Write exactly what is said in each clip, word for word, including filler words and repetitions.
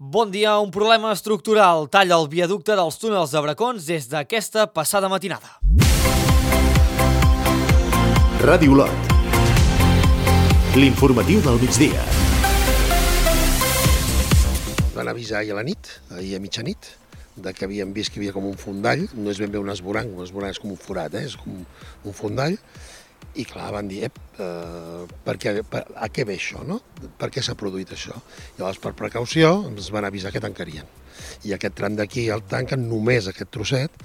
Bon dia, un problema estructural talla el viaducte dels túnels de Bracons des d'aquesta passada matinada. Ràdio Olot. L'informatiu del migdia. Van avisar ahir a la nit, ahir a mitjanit, de que havien vist que hi havia com un fondall, no és ben bé un esborang, un esborang és com un forat, eh? És com un fondall, i clar, van dir, ep, eh, per què, per, a què ve això, no? Per què s'ha produït això? Llavors, per precaució, ens van avisar que tancarien. I aquest tram d'aquí el tanquen només aquest trosset,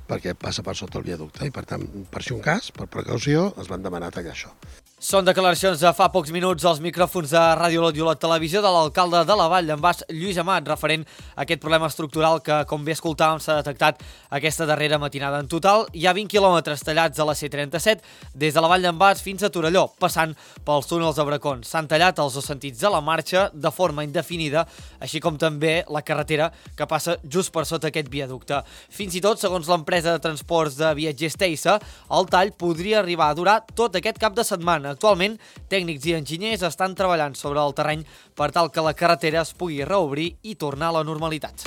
perquè passa per sota el viaducte, i per tant, per si un cas, per precaució, es van demanar tallar això. Són declaracions de fa pocs minuts als micròfons de Ràdio Olot i Olot Televisió de l'alcalde de la Vall d'en Bas, Lluís Amat, referent a aquest problema estructural que, com bé escoltàvem, s'ha detectat aquesta darrera matinada. En total, hi ha vint quilòmetres tallats a la C trenta-set des de la Vall d'en Bas fins a Torelló, passant pels túnels de Bracons. S'han tallat els dos sentits de la marxa de forma indefinida, així com també la carretera que passa just per sota aquest viaducte. Fins i tot, segons l'empresa de transports de viatgers Teisa, el tall podria arribar a durar tot aquest cap de setmana. Actualment, tècnics i enginyers estan treballant sobre el terreny per tal que la carretera es pugui reobrir i tornar a la normalitat.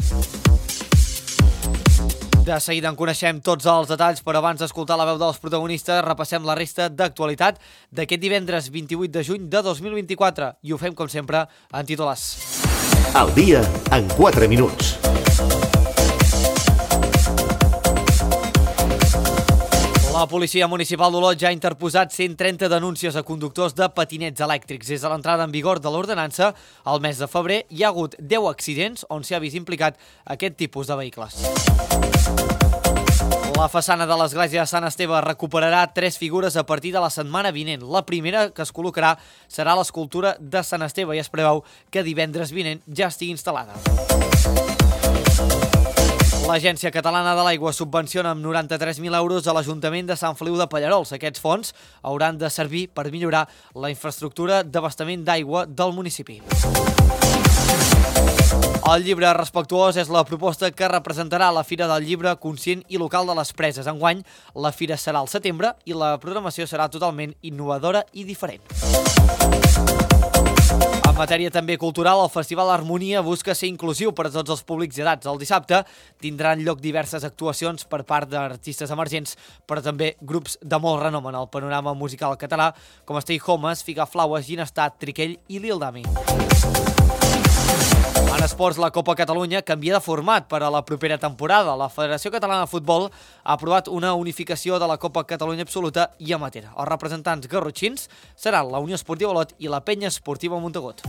De seguida en coneixem tots els detalls, però abans d'escoltar la veu dels protagonistes, repassem la resta d'actualitat d'aquest divendres vint-i-vuit de juny de dos mil vint-i-quatre i ho fem, com sempre, en titulars. El dia en quatre minuts. La policia municipal d'Olot ja ha interposat cent trenta denúncies a conductors de patinets elèctrics. Des de l'entrada en vigor de l'ordenança, al mes de febrer hi ha hagut deu accidents on s'hi ha vist implicat aquest tipus de vehicles. La façana de l'església de Sant Esteve recuperarà tres figures a partir de la setmana vinent. La primera que es col·locarà serà l'escultura de Sant Esteve i es preveu que divendres vinent ja estigui instal·lada. L'Agència Catalana de l'Aigua subvenciona amb noranta-tres mil euros a l'Ajuntament de Sant Feliu de Pallerols. Aquests fons hauran de servir per millorar la infraestructura d'abastament d'aigua del municipi. El llibre respectuós és la proposta que representarà la Fira del Llibre Conscient i Local de les Preses. Enguany, la fira serà al setembre i la programació serà totalment innovadora i diferent. En matèria també cultural, el Festival Harmonia busca ser inclusiu per a tots els públics i edats. El dissabte tindran lloc diverses actuacions per part d'artistes emergents, però també grups de molt renom en el panorama musical català, com Stay Homes, Figaflaues, Ginestat, Triquell i Lil Dami. En esports, la Copa Catalunya canvia de format per a la propera temporada. La Federació Catalana de Futbol ha aprovat una unificació de la Copa Catalunya Absoluta i Amateur. Els representants garrotxins seran la Unió Esportiva Olot i la Penya Esportiva Montagut.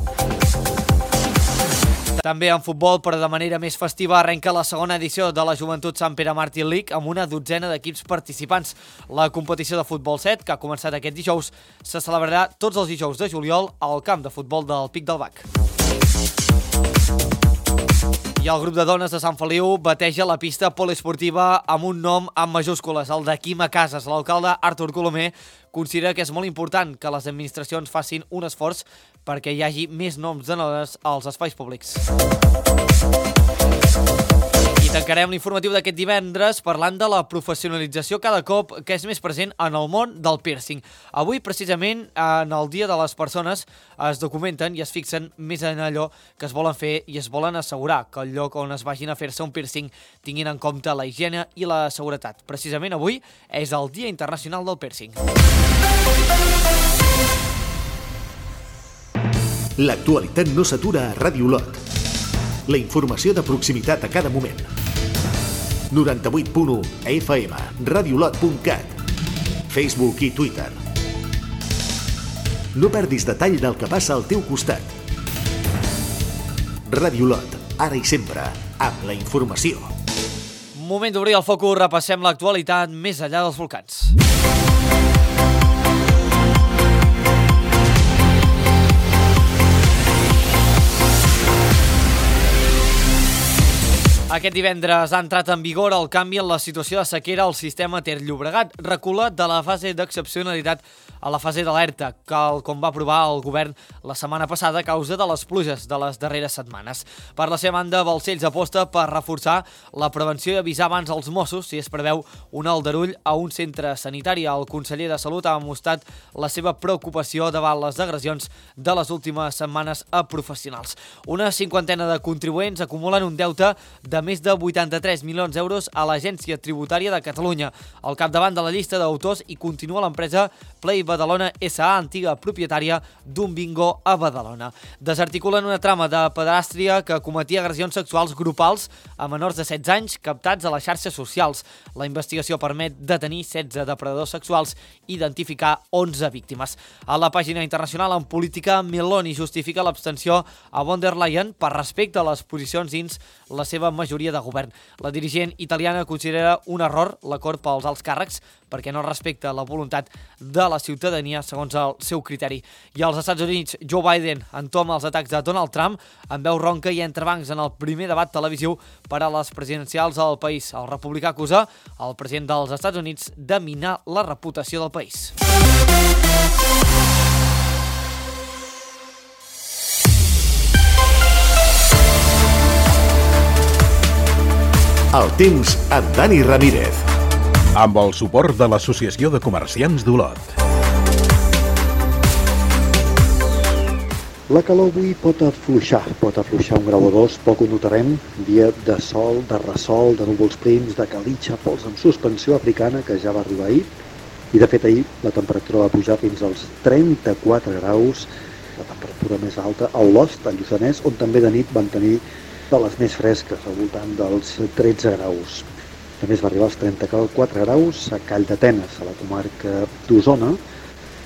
També en futbol, però de manera més festiva, arrenca la segona edició de la Joventut Sant Pere Màrtir League amb una dotzena d'equips participants. La competició de futbol set, que ha començat aquest dijous, se celebrarà tots els dijous de juliol al camp de futbol del Pic del Bac. I el grup de dones de Sant Feliu bateja la pista poliesportiva amb un nom amb majúscules, el de Quima Casas. L'alcalde Artur Colomer considera que és molt important que les administracions facin un esforç perquè hi hagi més noms de dones als espais públics. I tancarem l'informatiu d'aquest divendres parlant de la professionalització cada cop que és més present en el món del piercing. Avui, precisament, en el Dia de les Persones, es documenten i es fixen més en allò que es volen fer i es volen assegurar que el lloc on es vagin a fer-se un piercing tinguin en compte la higiene i la seguretat. Precisament avui és el Dia Internacional del Piercing. L'actualitat no s'atura a Ràdio Olot. La informació de proximitat a cada moment. noranta-vuit punt u F M, radiolot punt cat, Facebook i Twitter. No perdis detall del que passa al teu costat. Ràdio Olot, ara i sempre, amb la informació. Moment d'obrir el focus, repassem l'actualitat més enllà dels volcans. Aquest divendres ha entrat en vigor el canvi en la situació de sequera al sistema Ter-Llobregat, reculat de la fase d'excepcionalitat a la fase d'alerta, que com va aprovar el govern la setmana passada a causa de les pluges de les darreres setmanes. Per la seva banda, Balcells aposta per reforçar la prevenció i avisar abans als Mossos si es preveu un aldarull a un centre sanitari. El conseller de Salut ha mostrat la seva preocupació davant les agressions de les últimes setmanes a professionals. Una cinquantena de contribuents acumulen un deute de més de vuitanta-tres milions d'euros a l'Agència Tributària de Catalunya. Al capdavant de la llista d'autors hi continua l'empresa Play Badalona S A, antiga propietària d'un bingo a Badalona. Desarticulen una trama de pedràstria que cometia agressions sexuals grupals a menors de setze anys captats a les xarxes socials. La investigació permet detenir setze depredadors sexuals i identificar onze víctimes. A la pàgina internacional en política, Meloni justifica l'abstenció a von der Leyen per respecte a les posicions dins la seva majoria de govern. La dirigent italiana considera un error l'acord pels alts càrrecs perquè no respecta la voluntat de la ciutadania segons el seu criteri. I als Estats Units, Joe Biden entoma els atacs de Donald Trump amb veu ronca i entrebancs en el primer debat televisiu per a les presidencials al país. El republicà acusa el president dels Estats Units de minar la reputació del país. El temps amb Dani Ramírez. Amb el suport de l'Associació de Comerciants d'Olot. La calor avui pot afluixar, pot afluixar un grau o dos, poc ho notarem. Dia de sol, de ressol, de núvols prims, de calitxa, pols amb suspensió africana, que ja va arribar ahir. I de fet ahir la temperatura va pujar fins als trenta-quatre graus, la temperatura més alta a Olost, a Lluçanès, on també de nit van tenir de les més fresques, al voltant dels tretze graus. A més va arribar als trenta-quatre graus a Call d'Atenes, a la comarca d'Osona,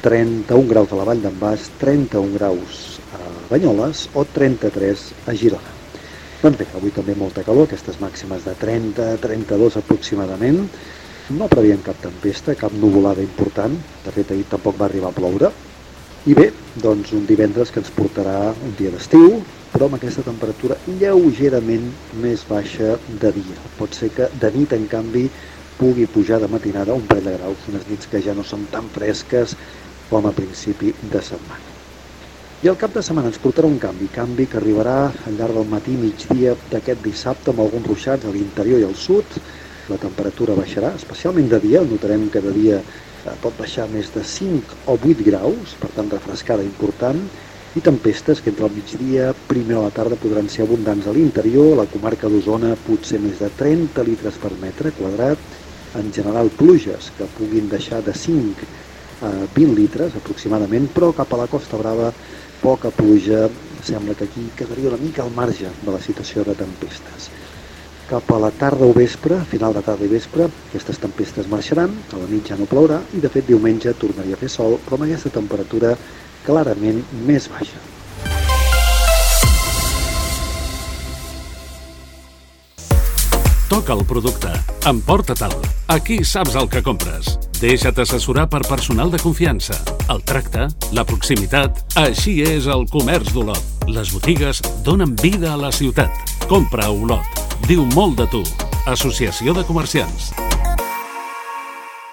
trenta-un graus a la Vall d'en Bas, trenta-un graus a Banyoles o trenta-tres a Girona. Doncs bé, avui també molta calor, aquestes màximes de trenta a trenta-dos aproximadament. No previem cap tempesta, cap nuvolada important, de fet ahir tampoc va arribar a ploure. I bé, doncs un divendres que ens portarà un dia d'estiu, però amb aquesta temperatura lleugerament més baixa de dia. Pot ser que de nit, en canvi, pugui pujar de matinada un parell de graus, unes nits que ja no són tan fresques com a principi de setmana. I el cap de setmana ens portarà un canvi, canvi que arribarà al llarg del matí i migdia d'aquest dissabte amb alguns ruixats a l'interior i al sud. La temperatura baixarà, especialment de dia, notarem que de dia pot baixar més de cinc o vuit graus, per tant refrescada important, i tempestes que entre el migdia, primer a la tarda podran ser abundants a l'interior, a la comarca d'Osona potser més de trenta litres per metre quadrat, en general pluges que puguin deixar de cinc a vint litres aproximadament, però cap a la Costa Brava poca pluja, sembla que aquí quedaria una mica al marge de la situació de tempestes. Cap a la tarda o vespre, final de tarda i vespre, aquestes tempestes marxaran, a la nit ja no plourà i de fet diumenge tornaria a fer sol, però amb aquesta temperatura clarament més baixa. Toca el producte, emporta-te'l. Aquí saps el que compres. Deixa't assessorar per personal de confiança. El tracte, la proximitat, així és el comerç d'Olot. Les botigues donen vida a la ciutat. Compra a Olot. Diu molt de tu. Associació de Comerciants.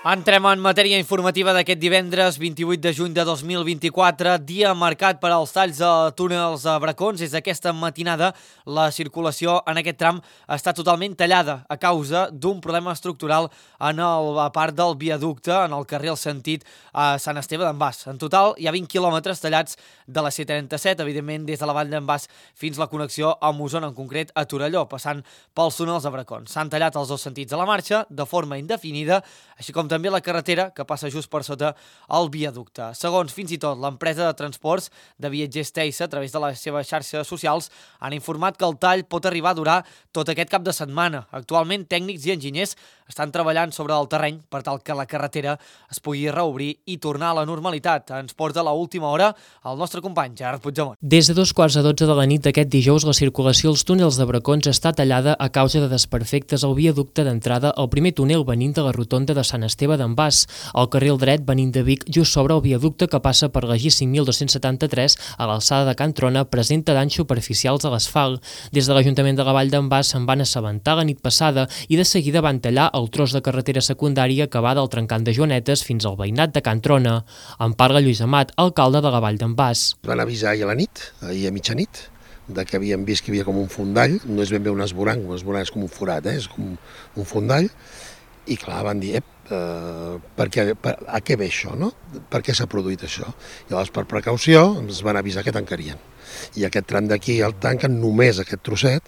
Entrem en matèria informativa d'aquest divendres vint-i-vuit de juny de dos mil vint-i-quatre, dia marcat per als talls de túnels a Bracons. Des d'aquesta matinada, la circulació en aquest tram està totalment tallada a causa d'un problema estructural en la part del viaducte, en el carril sentit a Sant Esteve d'en Bas. En total, hi ha vint quilòmetres tallats de la C trenta-set, evidentment des de la Vall d'en Bas fins la connexió amb Osona, en concret a Torelló, passant pels túnels de Bracons. S'han tallat els dos sentits de la marxa de forma indefinida, així com també la carretera que passa just per sota el viaducte. Segons fins i tot l'empresa de transports de viatgers Teisa, a través de les seves xarxes socials, han informat que el tall pot arribar a durar tot aquest cap de setmana. Actualment, tècnics i enginyers estan treballant sobre el terreny per tal que la carretera es pugui reobrir i tornar a la normalitat. Ens porta a l'última hora el nostre company Gerard Puigdemont. Des de dos quarts de dotze de la nit d'aquest dijous, la circulació als túnels de Bracons està tallada a causa de desperfectes al viaducte d'entrada al primer túnel venint de la rotonda de Sant Esteve Esteve d'en Bas. Al carril dret, venint de Vic, just sobre el viaducte que passa per la G cinc mil dos-cents setanta-tres, a l'alçada de Can Trona, presenta danys superficials a l'asfalt. Des de l'Ajuntament de la Vall d'en Bas se'n van assabentar la nit passada i de seguida van tallar el tros de carretera secundària que va del trencant de Joanetes fins al veïnat de Can Trona. En parla Lluís Amat, alcalde de la Vall d'en Bas. Van avisar ahir a la nit, ahir a mitjanit, de que havíem vist que hi havia com un fondall, no és ben bé un esborang, un esborang és com un forat, eh? És com un fondall, i clar, van dir, ep, eh, per què, per, a què ve això, no? Per què s'ha produït això? I llavors, per precaució, ens van avisar que tancarien. I aquest tram d'aquí el tanquen només aquest trosset,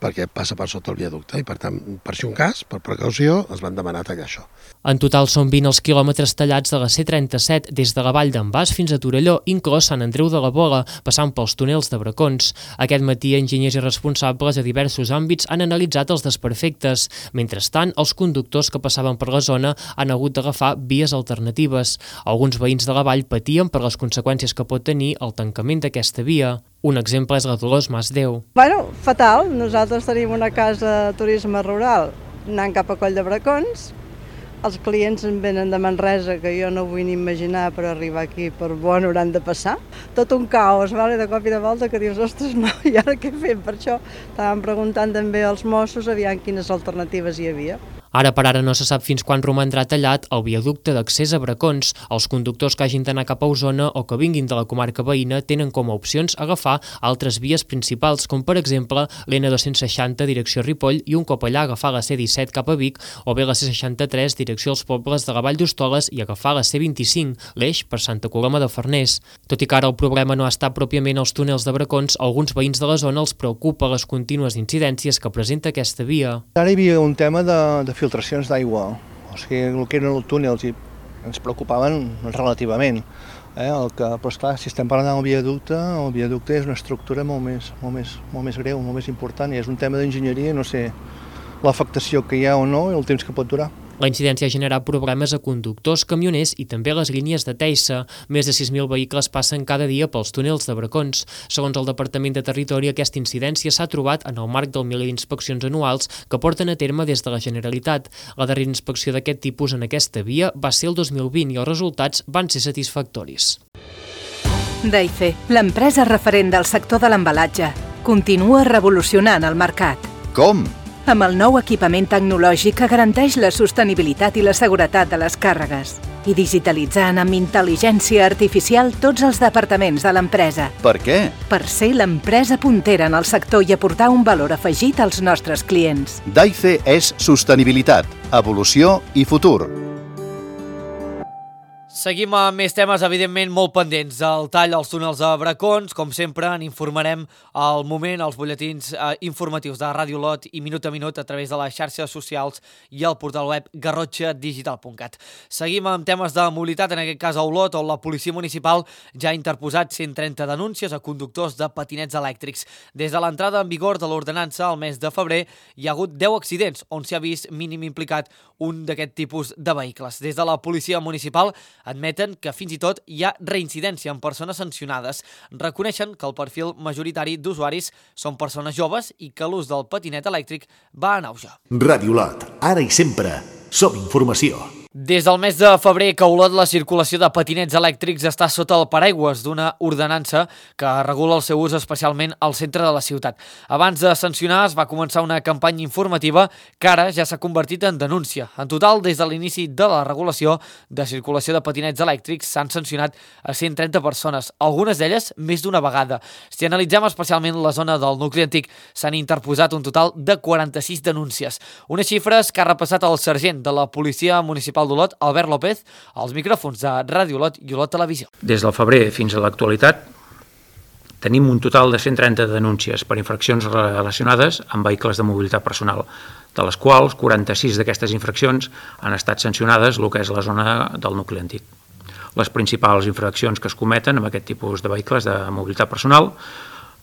perquè passa per sota el viaducte, i per tant, per si un cas, per precaució, es van demanar tallar això. En total són vint els quilòmetres tallats de la C trenta-set des de la Vall d'en Bas fins a Torelló, inclòs Sant Andreu de la Bola, passant pels túnels de Bracons. Aquest matí, enginyers i responsables a diversos àmbits han analitzat els desperfectes. Mentrestant, els conductors que passaven per la zona han hagut d'agafar vies alternatives. Alguns veïns de la vall patien per les conseqüències que pot tenir el tancament d'aquesta via. Un exemple és la Dolors Masdeu. Bueno, fatal. Nosaltres tenim una casa de turisme rural anant cap a Coll de Bracons. Els clients en venen de Manresa, que jo no vull ni imaginar per arribar aquí, per on hauran de passar. Tot un caos, vale, de cop i de volta, que dius, ostres, no, i ara què fem? Per això estàvem preguntant també als Mossos aviam quines alternatives hi havia. Ara per ara no se sap fins quan romandrà tallat el viaducte d'accés a Bracons. Els conductors que hagin d'anar cap a Osona o que vinguin de la comarca veïna tenen com a opcions agafar altres vies principals, com per exemple l'N dos-cents seixanta direcció Ripoll i un cop allà agafar la C disset cap a Vic o bé la C seixanta-tres direcció als pobles de la Vall d'Hostoles i agafar la C vint-i-cinc, l'eix per Santa Coloma de Farners. Tot i que ara el problema no està pròpiament als túnels de Bracons, alguns veïns de la zona els preocupa les contínues incidències que presenta aquesta via. Ara hi havia un tema de, de filtracions d'aigua, o sigui, el que eren els túnels i ens preocupaven relativament. Eh? El que, però esclar, si estem parlant del viaducte, el viaducte és una estructura molt més, molt més, molt més greu, molt més important, i és un tema d'enginyeria, no sé l'afectació que hi ha o no i el temps que pot durar. La incidència ha generat problemes a conductors, camioners i també a les línies de Teissa. Més de sis mil vehicles passen cada dia pels túnels de Bracons. Segons el Departament de Territori, aquesta incidència s'ha trobat en el marc del miler d'inspeccions anuals que porten a terme des de la Generalitat. La darrera inspecció d'aquest tipus en aquesta via va ser el dos mil vint i els resultats van ser satisfactoris. Daife, l'empresa referent del sector de l'embalatge, continua revolucionant el mercat. Com? Amb el nou equipament tecnològic que garanteix la sostenibilitat i la seguretat de les càrregues i digitalitzant amb intel·ligència artificial tots els departaments de l'empresa. Per què? Per ser l'empresa puntera en el sector i aportar un valor afegit als nostres clients. Daife és sostenibilitat, evolució i futur. Seguim amb més temes, evidentment, molt pendents. El tall als túnels de Bracons, com sempre, n'informarem al moment, als butlletins eh, informatius de Ràdio Olot i Minut a Minut a través de les xarxes socials i el portal web garrotxa digital punt cat. Seguim amb temes de mobilitat, en aquest cas a Olot, on la policia municipal ja ha interposat cent trenta denúncies a conductors de patinets elèctrics. Des de l'entrada en vigor de l'ordenança al mes de febrer, hi ha hagut deu accidents on s'hi ha vist mínim implicat un d'aquest tipus de vehicles. Des de la policia municipal admeten que fins i tot hi ha reincidència en persones sancionades. Reconeixen que el perfil majoritari d'usuaris són persones joves i que l'ús del patinet elèctric va en auge. Ràdio Olot, ara i sempre, som informació. Des del mes de febrer que a Olot la circulació de patinets elèctrics està sota el paraigües d'una ordenança que regula el seu ús especialment al centre de la ciutat. Abans de sancionar es va començar una campanya informativa que ara ja s'ha convertit en denúncia. En total, des de l'inici de la regulació de circulació de patinets elèctrics s'han sancionat a cent trenta persones, algunes d'elles més d'una vegada. Si analitzem especialment la zona del nucli antic, s'han interposat un total de quaranta-sis denúncies. Unes xifres que ha repassat el sergent de la Policia Municipal d'Olot, Albert López, als micròfons de Ràdio Olot i Olot Televisió. Des del febrer fins a l'actualitat tenim un total de cent trenta denúncies per infraccions relacionades amb vehicles de mobilitat personal, de les quals quaranta-sis d'aquestes infraccions han estat sancionades el que és la zona del nucli antic. Les principals infraccions que es cometen amb aquest tipus de vehicles de mobilitat personal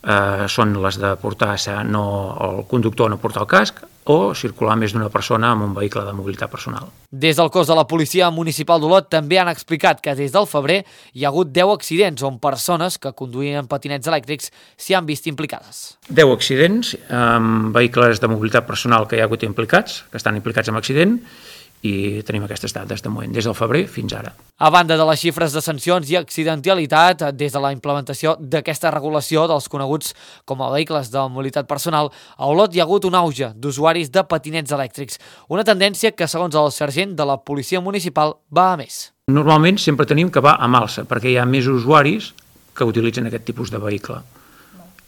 eh, són les de portar no, el conductor no portar el casc o circular més d'una persona amb un vehicle de mobilitat personal. Des del cos de la Policia Municipal d'Olot també han explicat que des del febrer hi ha hagut deu accidents on persones que conduïen patinets elèctrics s'hi han vist implicades. deu accidents amb vehicles de mobilitat personal que hi ha hagut implicats, que estan implicats en accident, i tenim aquestes dades de moment, des del febrer fins ara. A banda de les xifres de sancions i accidentalitat, des de la implementació d'aquesta regulació dels coneguts com a vehicles de mobilitat personal, a Olot hi ha hagut un auge d'usuaris de patinets elèctrics, una tendència que, segons el sergent de la policia municipal, va a més. Normalment sempre tenim que va a alça, perquè hi ha més usuaris que utilitzen aquest tipus de vehicle.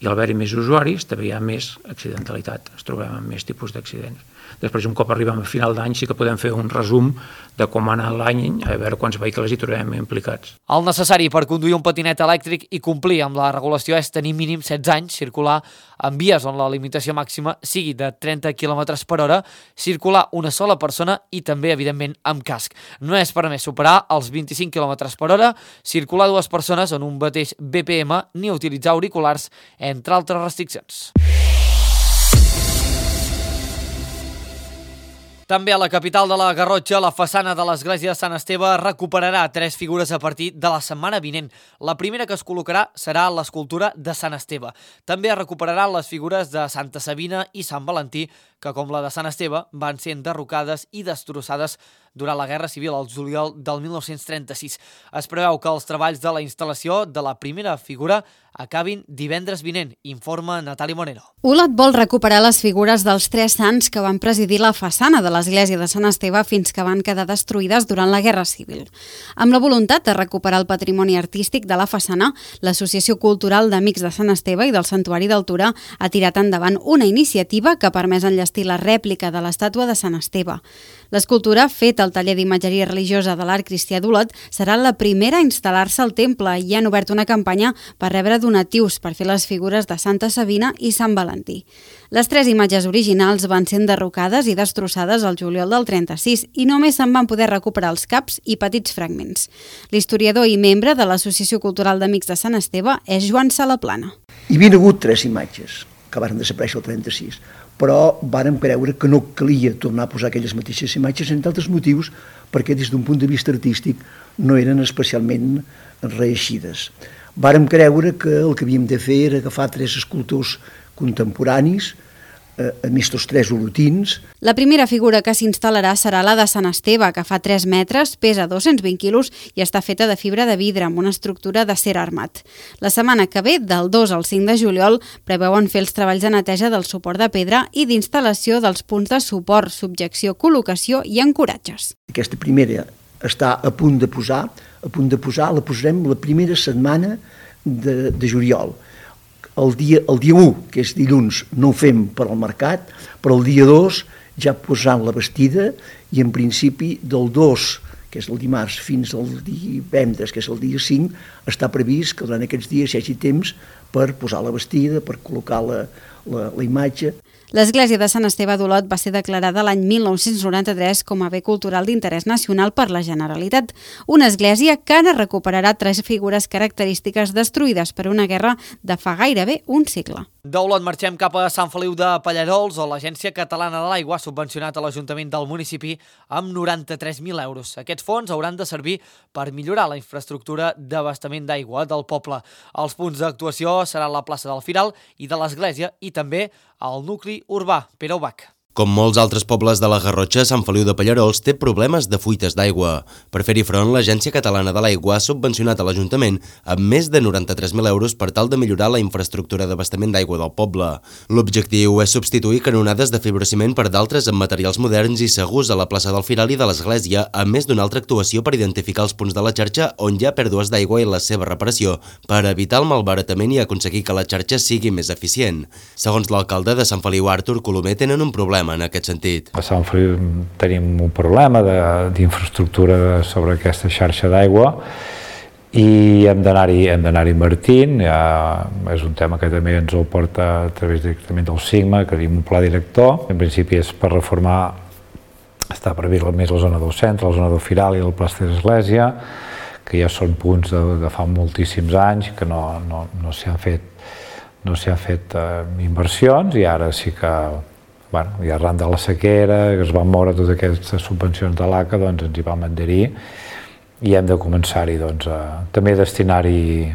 I al haver-hi més usuaris també hi ha més accidentalitat, ens trobem amb més tipus d'accidents. Després, un cop arribem a final d'any, sí que podem fer un resum de com ha anat l'any, a veure quants vehicles hi trobem implicats. El necessari per conduir un patinet elèctric i complir amb la regulació és tenir mínim setze anys, circular en vies on la limitació màxima sigui de trenta quilòmetres per hora, circular una sola persona i també, evidentment, amb casc. No és permès superar els vint-i-cinc quilòmetres per hora, circular dues persones en un mateix B P M ni utilitzar auriculars, entre altres restriccions. També a la capital de la Garrotxa, la façana de l'església de Sant Esteve recuperarà tres figures a partir de la setmana vinent. La primera que es col·locarà serà l'escultura de Sant Esteve. També es recuperaran les figures de Santa Sabina i Sant Valentí, que, com la de Sant Esteve, van ser enderrocades i destrossades durant la Guerra Civil al juliol del mil nou-cents trenta-sis. Es preveu que els treballs de la instal·lació de la primera figura acabin divendres vinent, informa Natali Monero. Olot vol recuperar les figures dels tres sants que van presidir la façana de l'església de Sant Esteve fins que van quedar destruïdes durant la Guerra Civil. Amb la voluntat de recuperar el patrimoni artístic de la façana, l'Associació Cultural d'Amics de Sant Esteve i del Santuari d'Altura ha tirat endavant una iniciativa que ha permès enllestir la rèplica de l'estàtua de Sant Esteve. L'escultura, feta al taller d'imatgeria religiosa de l'Art Cristià d'Olot, serà la primera a instal·lar-se al temple i han obert una campanya per rebre donatius per fer les figures de Santa Sabina i Sant Valentí. Les tres imatges originals van ser enderrocades i destrossades al juliol del trenta-sis i només se'n van poder recuperar els caps i petits fragments. L'historiador i membre de l'Associació Cultural d'Amics de Sant Esteve és Joan Salaplana. Hi havia hagut tres imatges que van desaparèixer el trenta-sis, però vàrem creure que no calia tornar a posar aquelles mateixes imatges, entre altres motius, perquè des d'un punt de vista artístic no eren especialment reeixides. Vàrem creure que el que havíem de fer era agafar tres escultors contemporanis, a més tots tres olotins. La primera figura que s'instal·larà serà la de Sant Esteve, que fa tres metres, pesa dos-cents vint quilos i està feta de fibra de vidre amb una estructura d'acer armat. La setmana que ve, del dos al cinc de juliol, preveuen fer els treballs de neteja del suport de pedra i d'instal·lació dels punts de suport, subjecció, col·locació i ancoratges. Aquesta primera està a punt de posar, a punt de posar, la posarem la primera setmana de, de juliol. El dia, el dia u, que és dilluns, no ho fem per al mercat, però el dia dos ja posant la vestida i en principi del dos, que és el dimarts, fins al divendres, que és el dia cinc, està previst que durant aquests dies hi hagi temps per posar la vestida, per col·locar la, la, la imatge. L'església de Sant Esteve d'Olot va ser declarada l'any mil nou-cents noranta-tres com a bé cultural d'interès nacional per la Generalitat. Una església que ara recuperarà tres figures característiques destruïdes per una guerra de fa gairebé un segle. D'Olot marxem cap a Sant Feliu de Pallarols, on l'Agència Catalana de l'Aigua ha subvencionat a l'Ajuntament del municipi amb noranta-tres mil euros. Aquests fons hauran de servir per millorar la infraestructura d'abastament d'aigua del poble. Els punts d'actuació seran la plaça del Firal i de l'Església i també el nucli urbà, Pere Ubach. Com molts altres pobles de la Garrotxa, Sant Feliu de Pallarols té problemes de fuites d'aigua. Per fer-hi front, l'Agència Catalana de l'Aigua ha subvencionat a l'Ajuntament amb més de noranta-tres mil euros per tal de millorar la infraestructura d'abastament d'aigua del poble. L'objectiu és substituir canonades de fibrociment per d'altres amb materials moderns i segurs a la plaça del Firal i de l'Església, a més d'una altra actuació per identificar els punts de la xarxa on hi ha pèrdues d'aigua i la seva reparació, per evitar el malbaratament i aconseguir que la xarxa sigui més eficient. Segons l'alcalde de Sant Feliu, Artur Colomer, tenen un problema en aquest sentit. A Sant Feliu tenim un problema d'infraestructura sobre aquesta xarxa d'aigua i hem d'anar-hi hem d'anar-hi invertint. Ja és un tema que també ens el porta a través directament del SIGMA, que tenim un pla director. En principi és per reformar, està previst més la zona del centre, la zona del Firal i el plaça de l'Església, que ja són punts de, de fa moltíssims anys que no, no, no s'hi han fet, no s'hi han fet eh, inversions i ara sí que Bueno, i arran de la sequera, que es van moure totes aquestes subvencions de l'A C A, doncs ens hi vam adherir i hem de començar-hi doncs, a també destinar-hi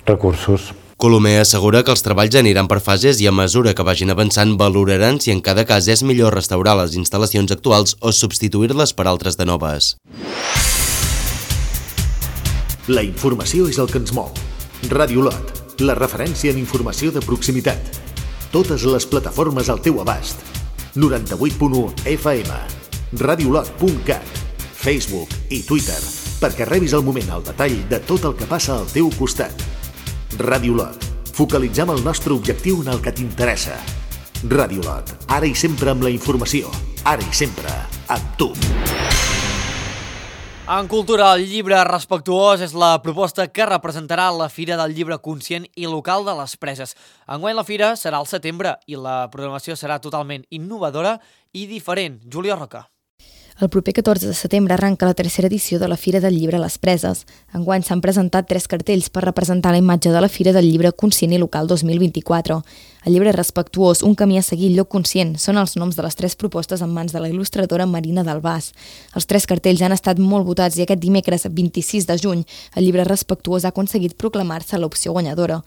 recursos Colomer assegura que els treballs aniran per fases i a mesura que vagin avançant valoraran si en cada cas és millor restaurar les instal·lacions actuals o substituir-les per altres de noves. La informació és el que ens mou. Ràdio Lot, la referència en informació de proximitat. Totes les plataformes al teu abast. noranta-vuit punt u F M, radiolot punt cat, Facebook i Twitter, perquè rebis al moment el detall de tot el que passa al teu costat. Ràdio Lot, focalitzem el nostre objectiu en el que t'interessa. Ràdio Lot, ara i sempre amb la informació, ara i sempre amb tu. En cultura, el llibre respectuós és la proposta que representarà la Fira del Llibre Conscient i Local de les Preses. Enguany la fira serà al setembre i la programació serà totalment innovadora i diferent. Júlia Roca. El proper catorze de setembre arranca la tercera edició de la Fira del Llibre a les Preses. Enguany s'han presentat tres cartells per representar la imatge de la Fira del Llibre Conscient i Local dos mil vint-i-quatre. El llibre respectuós, un camí a seguir, lloc conscient, són els noms de les tres propostes en mans de la il·lustradora Marina Dalbàs. Els tres cartells han estat molt votats i aquest dimecres vint-i-sis de juny el llibre respectuós ha aconseguit proclamar-se l'opció guanyadora.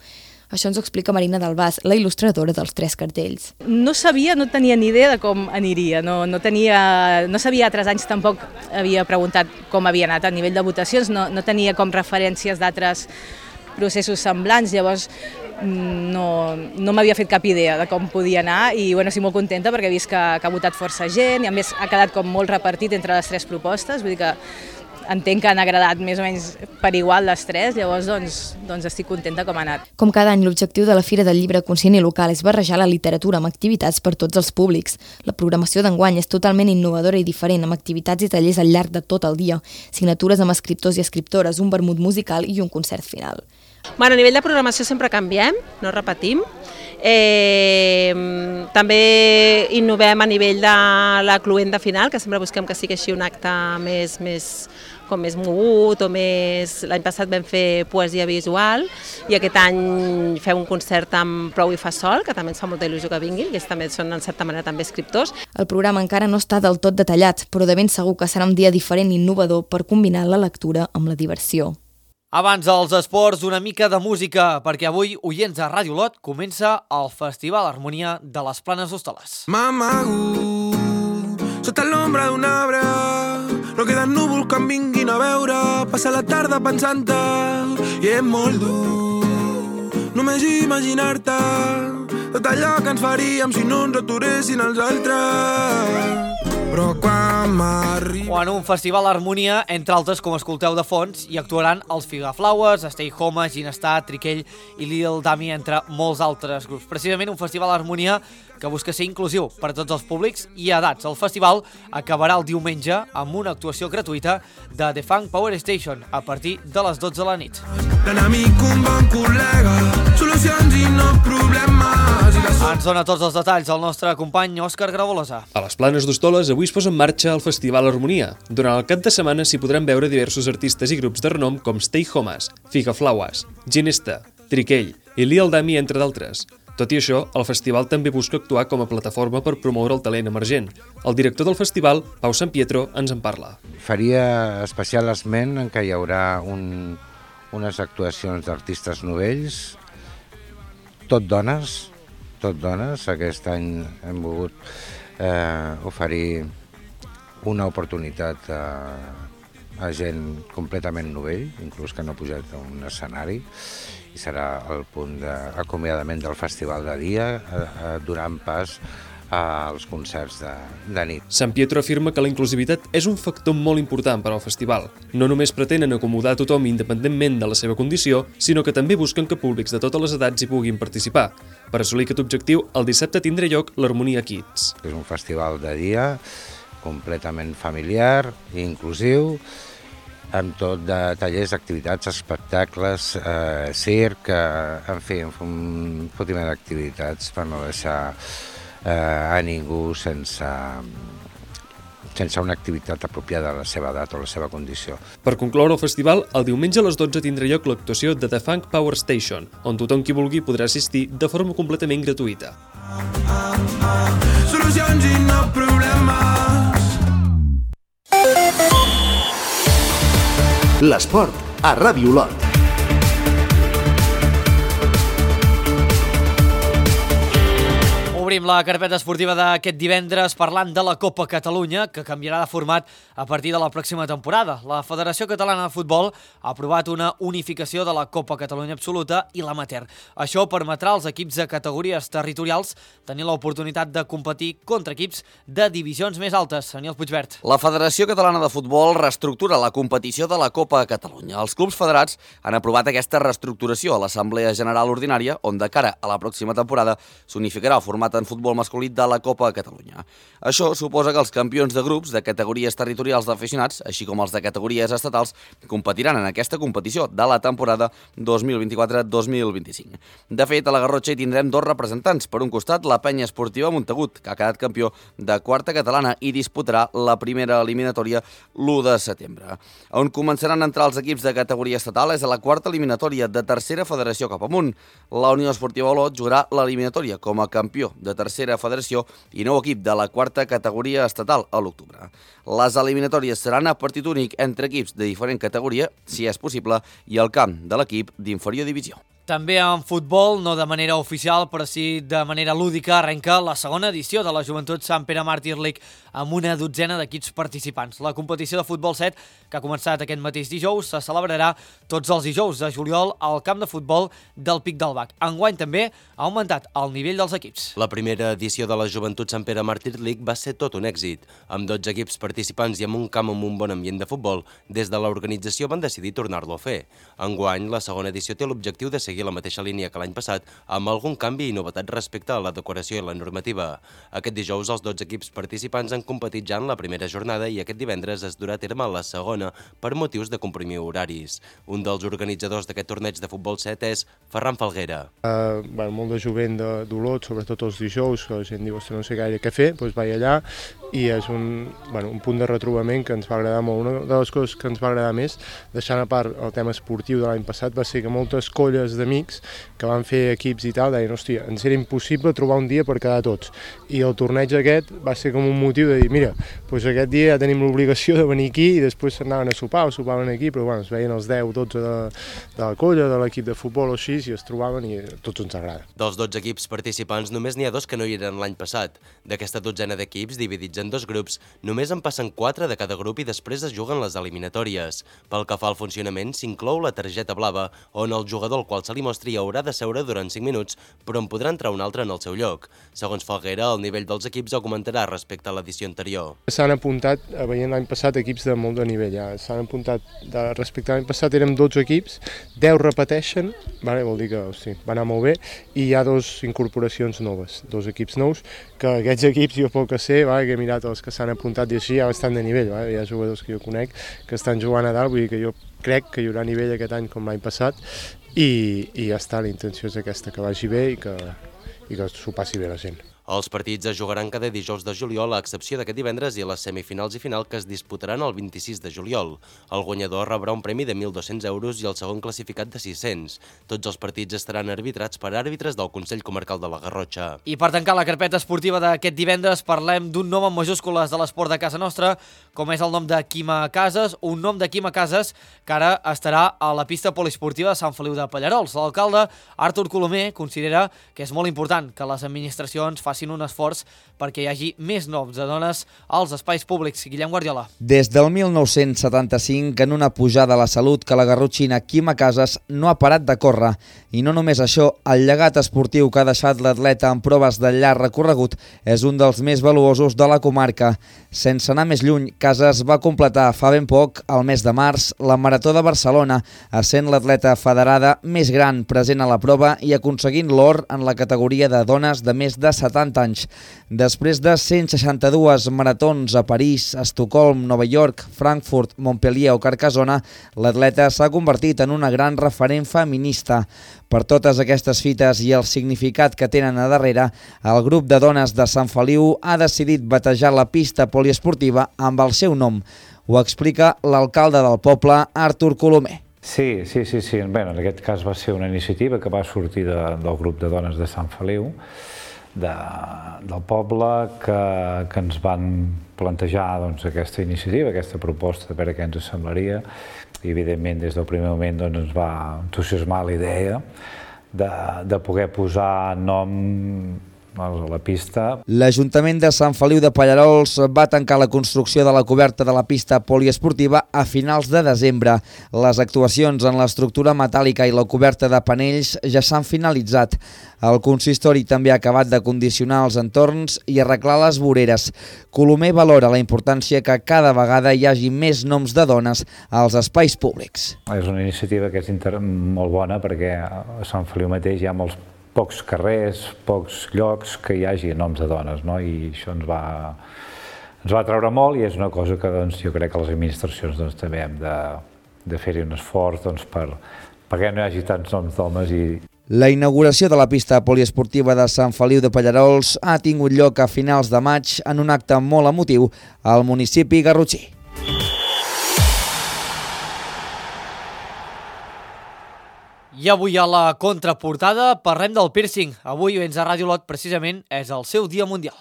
Això ens ho explica Marina Dalbàs, la il·lustradora dels tres cartells. No sabia, no tenia ni idea de com aniria, no, no, tenia, no sabia altres anys, tampoc havia preguntat com havia anat a nivell de votacions, no, no tenia com referències d'altres processos semblants, llavors no, no m'havia fet cap idea de com podia anar i bueno, estic molt contenta perquè he vist que, que ha votat força gent i a més ha quedat com molt repartit entre les tres propostes, vull dir que entenc que han agradat més o menys per igual les tres, llavors doncs, doncs estic contenta com ha anat. Com cada any, l'objectiu de la Fira del Llibre Conscient i Local és barrejar la literatura amb activitats per tots els públics. La programació d'enguany és totalment innovadora i diferent, amb activitats i tallers al llarg de tot el dia, signatures amb escriptors i escriptores, un vermut musical i un concert final. Bueno, a nivell de programació sempre canviem, no repetim. Eh, també innovem a nivell de la cluenda final, que sempre busquem que sigui així un acte més, més, com més mogut o més... L'any passat vam fer poesia visual i aquest any fem un concert amb Prou i fa sol, que també ens fa molta il·lusió que vinguin, que també són en certa manera també escriptors. El programa encara no està del tot detallat, però de ben segur que serà un dia diferent i innovador per combinar la lectura amb la diversió. Abans dels esports, una mica de música, perquè avui, oients de Ràdio Lot, comença el Festival Harmonia de les Planes d'Hostoles. M'amago sota l'ombra d'un arbre, no queden núvols que em vinguin a veure, passar la tarda pensant-te i és molt dur només imaginar-te tot allò que ens faríem si no ens aturessin els altres. Però quan m'arriba... O en un festival Harmonia, entre altres, com escolteu de fons, hi actuaran els Figaflowers, Stay Home, Ginestar, Triquell i Lil Dami, entre molts altres grups. Precisament un festival Harmonia que busca ser inclusiu per a tots els públics i edats. El festival acabarà el diumenge amb una actuació gratuïta de The Funk Power Station a partir de les dotze de la nit. L'enemic un bon col·lega, solucions i no problemes. Ens dona tots els detalls el nostre company Òscar Gravolosa. A les Planes d'Hostoles avui es posa en marxa el Festival Harmonia. Durant el cap de setmana s'hi podran veure diversos artistes i grups de renom com Stay Homes, Figaflowers, Ginestar, Triquell i Lil Dami, entre d'altres. Tot i això, el festival també busca actuar com a plataforma per promoure el talent emergent. El director del festival, Pau San Pietro, ens en parla. Faria especial esment en què hi haurà un, unes actuacions d'artistes novells, tot dones, tot dones. Aquest any hem volgut eh, oferir una oportunitat a, a gent completament novell, inclús que no ha pujat a un escenari, i serà el punt d'acomiadament del festival de dia, eh, donant pas als concerts de, de nit. San Pietro afirma que la inclusivitat és un factor molt important per al festival. No només pretenen acomodar a tothom independentment de la seva condició, sinó que també busquen que públics de totes les edats hi puguin participar. Per assolir aquest objectiu, el dissabte tindrà lloc l'Harmonia Kids. És un festival de dia completament familiar i inclusiu, amb tot de tallers, activitats, espectacles, eh, circ, eh, en fi, un fotiment d'activitats per no deixar eh, a ningú sense, sense una activitat apropiada a la seva edat o la seva condició. Per concloure el festival, el diumenge a les dotze tindrà lloc l'actuació de The Funk Power Station, on tothom qui vulgui podrà assistir de forma completament gratuïta. Solucions i no problemes. L'esport a Ràdio Lot. Obrim la carpeta esportiva d'aquest divendres parlant de la Copa Catalunya, que canviarà de format a partir de la pròxima temporada. La Federació Catalana de Futbol ha aprovat una unificació de la Copa Catalunya Absoluta i l'Amateur. Això permetrà als equips de categories territorials tenir l'oportunitat de competir contra equips de divisions més altes. Daniel Puigvert. La Federació Catalana de Futbol reestructura la competició de la Copa Catalunya. Els clubs federats han aprovat aquesta reestructuració a l'Assemblea General Ordinària, on de cara a la pròxima temporada s'unificarà el format en futbol masculí de la Copa Catalunya. Això suposa que els campions de grups de categories territorials d'aficionats, així com els de categories estatals, competiran en aquesta competició de la temporada dos mil vint-i-quatre dos mil vint-i-cinc. De fet, a la Garrotxa hi tindrem dos representants. Per un costat, la Penya Esportiva Montagut, que ha quedat campió de quarta catalana i disputarà la primera eliminatòria l'u de setembre. On començaran a entrar els equips de categoria estatal és a la quarta eliminatòria de tercera federació cap amunt. La Unió Esportiva Olot jugarà l'eliminatòria com a campió de tercera federació i nou equip de la quarta categoria estatal a l'octubre. Les eliminatòries seran a partit únic entre equips de diferent categoria, si és possible, i el camp de l'equip d'inferior divisió. També en futbol, no de manera oficial, però sí de manera lúdica, arrenca la segona edició de la Joventut Sant Pere Màrtir League amb una dotzena d'equips participants. La competició de futbol set, que ha començat aquest mateix dijous, se celebrarà tots els dijous de juliol al camp de futbol del Pic del Bac. Enguany també ha augmentat el nivell dels equips. La primera edició de la Joventut Sant Pere Màrtir League va ser tot un èxit. Amb dotze equips participants i amb un camp amb un bon ambient de futbol, des de l'organització van decidir tornar-lo a fer. Enguany, la segona edició té l'objectiu de seguir la mateixa línia que l'any passat, amb algun canvi i novetat respecte a la decoració i la normativa. Aquest dijous, els dotze equips participants han competit ja en la primera jornada i aquest divendres es durà a terme la segona per motius de comprimir horaris. Un dels organitzadors d'aquest torneig de futbol set és Ferran Falguera. Uh, bueno, molt de jovent d'Olot, sobretot els dijous, que la gent diu que no sé gaire què fer, doncs vaig allà i és un, bueno, un punt de retrobament que ens va agradar molt. Una de les coses que ens va agradar més, deixant a part el tema esportiu de l'any passat, va ser que moltes colles d'amics que van fer equips i tal, deien, hòstia, ens era impossible trobar un dia per quedar tots. I el torneig aquest va ser com un motiu de dir, mira, doncs aquest dia ja tenim l'obligació de venir aquí i després s'anaven a sopar o sopaven aquí, però bueno, es veien els deu, dotze de, de la colla, de l'equip de futbol o així, i es trobaven i a tots ens agrada. Dels dotze equips participants, només n'hi ha dos que no hi eren l'any passat. D'aquesta dotzena d'equips, dividits en dos grups, només en passen quatre de cada grup i després es juguen les eliminatòries. Pel que fa al funcionament, s'inclou la targeta blava, on el jugador al qual se li mostri haurà de seure durant cinc minuts, però en podrà entrar un altre en el seu lloc. Segons Falguera, el nivell dels equips augmentarà respecte a l'edició anterior. S'han apuntat, veient l'any passat, equips de molt de nivell. Ja. S'han apuntat, de, respecte a l'any passat érem dotze equips, deu repeteixen, vale, vol dir que hosti, va anar molt bé, i hi ha dos incorporacions noves, dos equips nous, que aquests equips, jo poc que sé, vale, que he mirat els que s'han apuntat i així, ja estan de nivell, vale, hi ha jugadors que jo conec que estan jugant a dalt, vull dir que jo crec que hi haurà nivell aquest any com l'any passat, i, i ja està, la intenció és aquesta, que vagi bé i que, i que s'ho passi bé la gent. Els partits es jugaran cada dijous de juliol, a excepció d'aquest divendres i les semifinals i final que es disputaran el vint-i-sis de juliol. El guanyador rebrà un premi de mil dos-cents euros i el segon classificat de sis-cents. Tots els partits estaran arbitrats per àrbitres del Consell Comarcal de la Garrotxa. I per tancar la carpeta esportiva d'aquest divendres parlem d'un nom en majúscules de l'esport de casa nostra, com és el nom de Quima Casas, un nom de Quima Casas que ara estarà a la pista poliesportiva de Sant Feliu de Pallarols. L'alcalde Artur Colomer considera que és molt important que les administracions facin un esforç perquè hi hagi més noms de dones als espais públics. Guillem Guardiola. Des del mil nou-cents setanta-cinc, en una pujada a la salut que la garrotxina Quima Casas no ha parat de córrer. I no només això, el llegat esportiu que ha deixat l'atleta en proves de llarg recorregut és un dels més valuosos de la comarca. Sense anar més lluny, Casas va completar fa ben poc, al mes de març, la Marató de Barcelona, essent l'atleta federada més gran present a la prova i aconseguint l'or en la categoria de dones de més de setanta anys. Després de cent seixanta-dues maratons a París, Estocolm, Nova York, Frankfurt, Montpellier o Carcassona, l'atleta s'ha convertit en una gran referent feminista. Per totes aquestes fites i el significat que tenen a darrere, el grup de dones de Sant Feliu ha decidit batejar la pista poliesportiva amb el seu nom. Ho explica l'alcalde del poble, Artur Colomer. Sí, sí, sí, sí. Bé, en aquest cas va ser una iniciativa que va sortir de, del grup de dones de Sant Feliu, de, del poble, que, que ens van plantejar doncs, aquesta iniciativa, aquesta proposta, de veure què ens semblaria. I, evidentment, des del primer moment doncs, ens va entusiasmar la idea de, de poder posar nom la pista. L'Ajuntament de Sant Feliu de Pallarols va tancar la construcció de la coberta de la pista poliesportiva a finals de desembre. Les actuacions en l'estructura metàl·lica i la coberta de panells ja s'han finalitzat. El consistori també ha acabat de condicionar els entorns i arreglar les voreres. Colomer valora la importància que cada vegada hi hagi més noms de dones als espais públics. És una iniciativa que és molt bona perquè a Sant Feliu mateix hi ha molts pocs carrers, pocs llocs que hi hagi noms de dones, no? I això ens va, ens va treure molt i és una cosa que doncs, jo crec que les administracions doncs, també hem de, de fer-hi un esforç doncs, per, perquè no hi hagi tants noms d'homes. I... La inauguració de la pista poliesportiva de Sant Feliu de Pallarols ha tingut lloc a finals de maig en un acte molt emotiu al municipi garrotxí. I avui a la contraportada parlem del piercing. Avui, Vents a Ràdio Lot, precisament, és el seu dia mundial.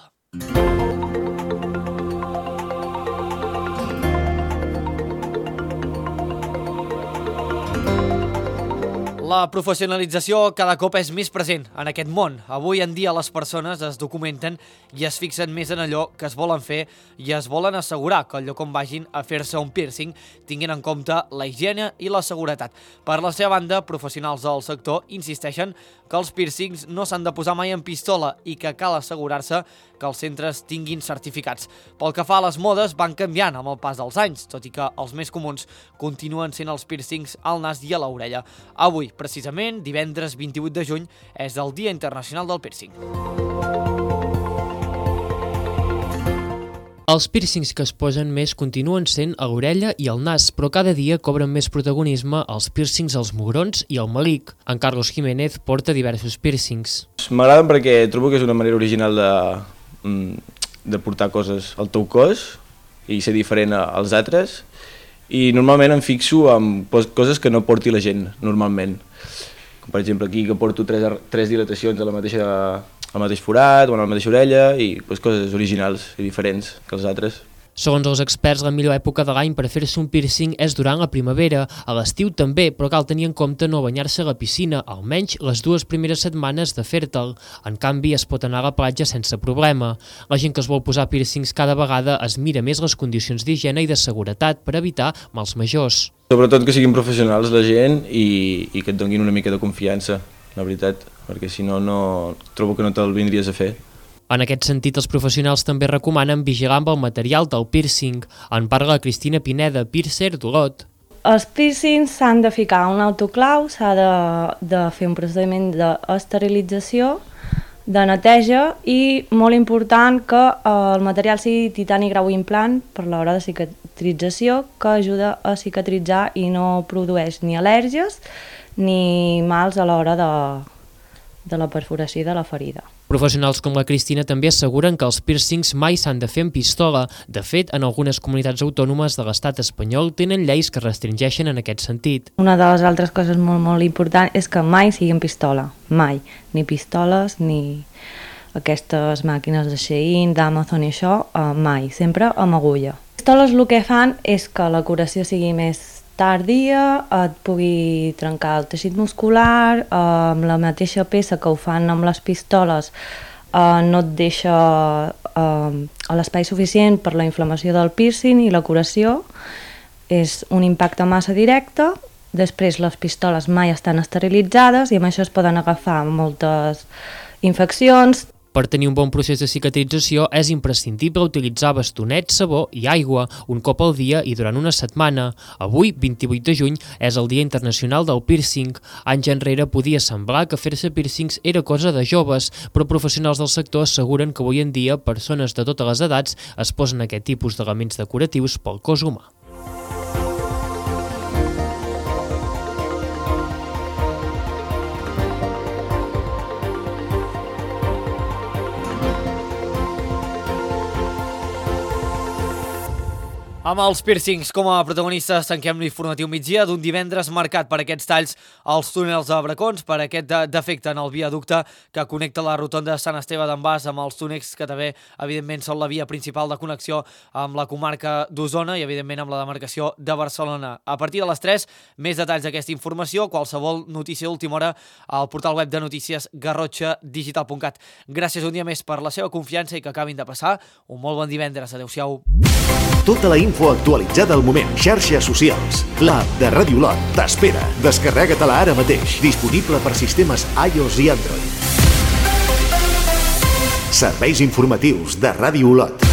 La professionalització cada cop és més present en aquest món. Avui en dia les persones es documenten i es fixen més en allò que es volen fer i es volen assegurar que al lloc on vagin a fer-se un piercing tinguin en compte la higiene i la seguretat. Per la seva banda, professionals del sector insisteixen que els piercings no s'han de posar mai en pistola i que cal assegurar-se que els centres tinguin certificats. Pel que fa a les modes, van canviant amb el pas dels anys, tot i que els més comuns continuen sent els piercings al nas i a l'orella. Avui, precisament, divendres vint-i-vuit de juny, és el Dia Internacional del Piercing. Els piercings que es posen més continuen sent a l'orella i al nas, però cada dia cobren més protagonisme els piercings als mugrons i al melic. En Carlos Jiménez porta diversos piercings. M'agraden perquè trobo que és una manera original de, de portar coses al teu cos i ser diferent als altres. I normalment em fixo en coses que no porti la gent, normalment. Com per exemple aquí que porto tres, tres dilatacions a la mateixa... al mateix forat o a la mateixa orella i pues, coses originals i diferents que els altres. Segons els experts, la millor època de l'any per fer-se un piercing és durant la primavera, a l'estiu també, però cal tenir en compte no banyar-se a la piscina, almenys les dues primeres setmanes de fer-te'l. En canvi, es pot anar a la platja sense problema. La gent que es vol posar piercings cada vegada es mira més les condicions d'higiene i de seguretat per evitar mals majors. Sobretot que siguin professionals la gent i, i que et donin una mica de confiança, la veritat, perquè si no, no trobo que no te'l vindries a fer. En aquest sentit, els professionals també recomanen vigilar amb el material del piercing. En parla Cristina Pineda, piercer d'Olot. Els piercings s'han de ficar un autoclau, s'ha de, de fer un procediment d'esterilització, de neteja i, molt important, que el material sigui titani grau implant per l'hora de cicatrització, que ajuda a cicatritzar i no produeix ni al·lèrgies ni mals a l'hora de, de la perforació de la ferida. Professionals com la Cristina també asseguren que els piercings mai s'han de fer en pistola. De fet, en algunes comunitats autònomes de l'estat espanyol tenen lleis que restringeixen en aquest sentit. Una de les altres coses molt, molt importants és que mai sigui en pistola, mai. Ni pistoles, ni aquestes màquines de Shein, d'Amazon i això, eh, mai, sempre amb agulla. Les pistoles el que fan és que la curació sigui més tardia, et pugui trencar el teixit muscular, eh, amb la mateixa peça que ho fan amb les pistoles eh, no et deixa eh, l'espai suficient per la inflamació del piercing i la curació és un impacte massa directe. Després les pistoles mai estan esterilitzades i amb això es poden agafar moltes infeccions. Per tenir un bon procés de cicatrització és imprescindible utilitzar bastonets, sabó i aigua un cop al dia i durant una setmana. Avui, vint-i-vuit de juny, és el Dia Internacional del Piercing. Anys enrere podia semblar que fer-se piercings era cosa de joves, però professionals del sector asseguren que avui en dia persones de totes les edats es posen aquest tipus d'elements decoratius pel cos humà. Amb els piercings com a protagonistes tanquem l'informatiu migdia d'un divendres marcat per aquests talls als túnels de Bracons, per aquest defecte en el viaducte que connecta la rotonda de Sant Esteve d'en Bas amb els túnels que també, evidentment, són la via principal de connexió amb la comarca d'Osona i, evidentment, amb la demarcació de Barcelona. A partir de les tres, més detalls d'aquesta informació, qualsevol notícia d'última hora al portal web de notícies garrotxa digital punt cat. Gràcies un dia més per la seva confiança i que acabin de passar un molt bon divendres. Adéu-siau. Tota la info actualitzada al moment. Xarxes socials. L'app de Ràdio Olot t'espera. Descarrega-te-la ara mateix. Disponible per sistemes iOS i Android. Serveis informatius de Ràdio Olot.